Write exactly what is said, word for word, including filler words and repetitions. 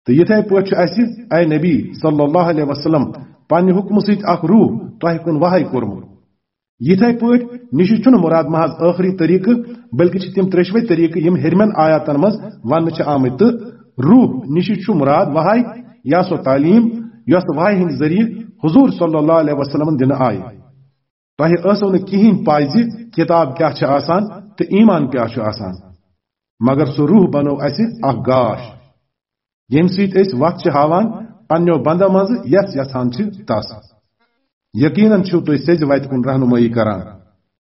تہٕ یِتھے پٲٹھۍ چھُ اَسہِ، اے نبی صلی اللہ علیہ وسلم، پننہِ حُکمہٕ سۭتۍ اکھ روح تۄہہِ کُن وحی کوٚرمُت۔ یِتھے پٲٹھۍ نِشہِ چھُنہٕ مُراد محض ٲخری طریٖقہٕ، بلکہِ چھِ تِم ترٛیشوے طریٖقہٕ یِم ہیٚرمٮ۪ن آیاتن منٛز وننہٕ چھِ آمٕتۍ۔ تہٕ روح نِشہِ چھُ مُراد وحی یا سۄ تعلیٖم یۄس وحی ہٕنٛدِ ذٔریعہٕ حضور صلی اللہ علیہ وسلمن دِنہٕ آیہِ۔ تۄہہِ ٲسٕو نہٕ کِہیٖنۍ پَے زِ کِتاب کیٛاہ چھِ آسان تہٕ ایمان کیٛاہ چھُ آسان، مگر سُہ روح بنوو اَسہِ اکھ گاش، ییٚمہِ سۭتۍ أسۍ وَتھ چھِ ہاوان پننیو بندو منٛزٕ یَس یژھان چھِ تَس۔ یقیناً چھِو تُہۍ سیٚزِ وَتہِ کُن رہنمٲیی کران۔